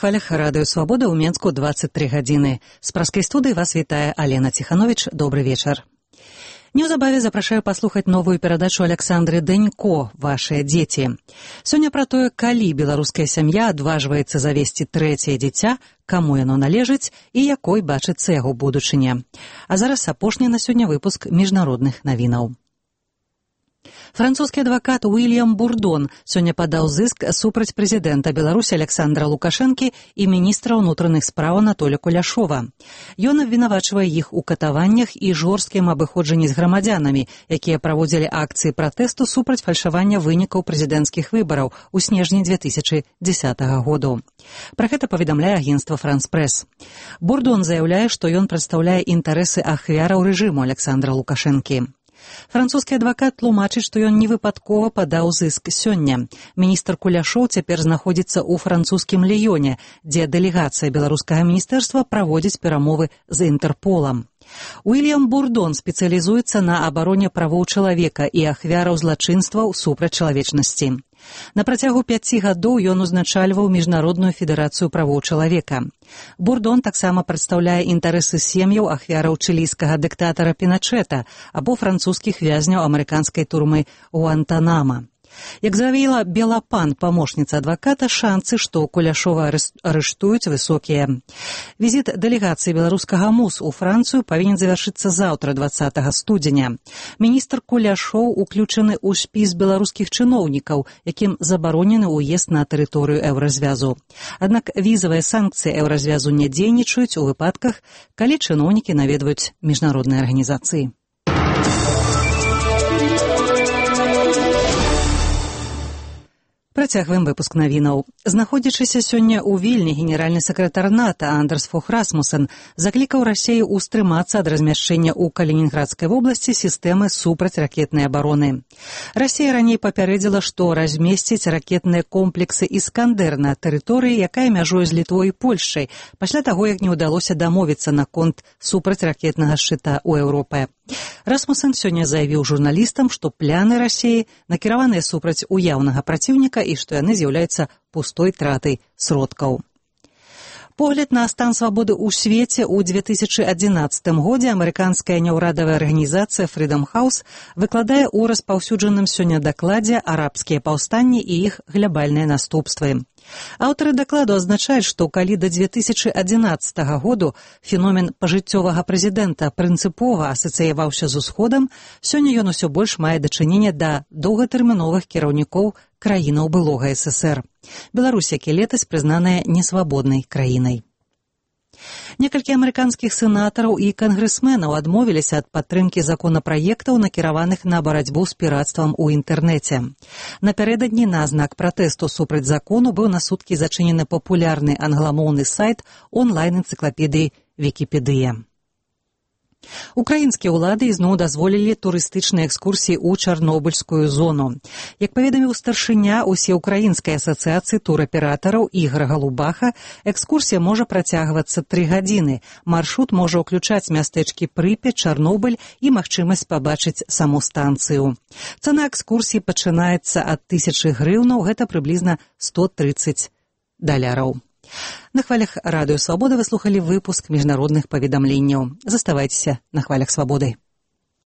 хвалях радыё «Свабода» ў Менску 23 гадзіны. З праскай студыі вас вітае Алена Ціхановіч. Добры вечар. Неўзабаве запрашаю паслухаць новую перадачу Александры Дэнько «Вашыя дзеці». Сёння пра тое, калі беларуская сям'я адважваецца завесці трэцяе дзіця, каму яно належыць і якой бачыцца яго будучыня. А зараз апошні на сёння выпуск міжнародных навінаў. Французскі адвакат Уильям Бурдон сёння падаў зыск супраць прэзідэнта Беларусі Александра Лукашэнкі і міністра ўнутраных спраў Анатолія Куляшова. Ён абвінавачвае іх у катаваннях і жорсткім абыходжанні з грамадзянамі, якія праводзілі акцыі пратэсту супраць фальшавання вынікаў прэзідэнцкіх выбараў у снежні 2010 году. Пра гэта паведамляе агенцтва «Франс Прэс». Бурдон заяўляе, што ён прадстаўляе інтарэсы ахвяраў рэжыму Александра Лукашэнкі. Французскі адвакат тлумачыць, што ён невыпадкова падаў зыск сёння. Міністр Куляшоў цяпер знаходзіцца ў французскім Ліёне, дзе дэлегацыя беларускага міністэрства праводзіць перамовы з Інтэрполам. Уильям Бурдон спецыялізуецца на абароне правоў чалавека і ахвяраў злачынстваў супраць чалавечнасці. На працягу 5 гадоў ён узначальваў Міжнародную федэрацыю правоў чалавека. Бурдон таксама прадстаўляе інтарэсы сем'яў ахвяраў чылійскага дыктатара Піначэта або французскіх вязняў амерыканскай турмы Гуантанама. Як заявіла Белапан, памочніца адваката, шанцы, што Куляшова арыштуюць, высокія. Візіт дэлегацыі беларускага МУС у Францыю павінен завяршыцца заўтра, 20 студзеня. Міністр Куляшоў уключаны ў спіс беларускіх чыноўнікаў, якім забаронены ўезд на тэрыторыю Еўразвязу. Аднак візавыя санкцыі Еўразвязу не дзейнічаюць у выпадках, калі чыноўнікі наведваюць міжнародныя арганізацыі. Працягваем выпуск навінаў. Знаходзячыся сёння ў Вільні, генеральны сакратар НАТО Андерс Фог Расмусен заклікаў Расею ўстрымацца ад размяшчэння ў Калінінградскай вобласці сістэмы супрацьракетнай абароны. Расея раней папярэдзіла, што размесціць ракетныя комплексы «Іскандэр» на тэрыторыі, якая мяжуе з Літвой і Польшчай, пасля таго, як не ўдалося дамовіцца наконт супрацьракетнага шчыта ў Еўропе. Расмусен сёння заявіў журналістам, што пляны Расеі накіраваныя супраць уяўнага праціўніка і што яны з'яўляюцца пустой тратай сродкаў. Погляд на стан свабоды ў свеце ў 2011 годзе амерыканская няўрадавая арганізацыя Freedom House выкладае ў распаўсюджаным сёння дакладзе арабскія паўстанні і іх глябальныя наступствы. Аўтары дакладу адзначаюць, што калі да 2011 году феномен пажыццёвага прэзідэнта прынцыпова асацыяваўся з усходам, сёння ён усё больш мае дачыненне да доўгатэрміновых кіраўнікоў краінаў былога ССР. Беларусь, як і летась, прызнаная несвабоднай краінай. Некалькі амерыканскіх сенатараў і кангрэсменаў адмовіліся ад падтрымкі законапраектаў, накіраваных на барацьбу з пірацтвам у інтэрнэце. Напярэдадні на знак пратэсту супраць закону быў на суткі зачынены папулярны англамоўны сайт онлайн-энцыклапедыі «Вікіпедыя». Украінскія ўлады ізноў дазволілі турыстычныя экскурсіі ў Чарнобыльскую зону. Як паведаміў старшыня усеўкраінскай асацыяцыі тураператараў Ігор Галубаха, экскурсія можа працягвацца 3 гадзіны. Маршрут можа ўключаць мястэчкі Прыпяць, Чарнобыль і магчымасць пабачыць саму станцыю. Цана экскурсіі пачынаецца ад 1000 грыўнаў, гэта прыблізна $130. На хвалях радыё «Свабода» вы слухалі выпуск міжнародных паведамленняў. Заставайцеся на хвалях «Свабоды».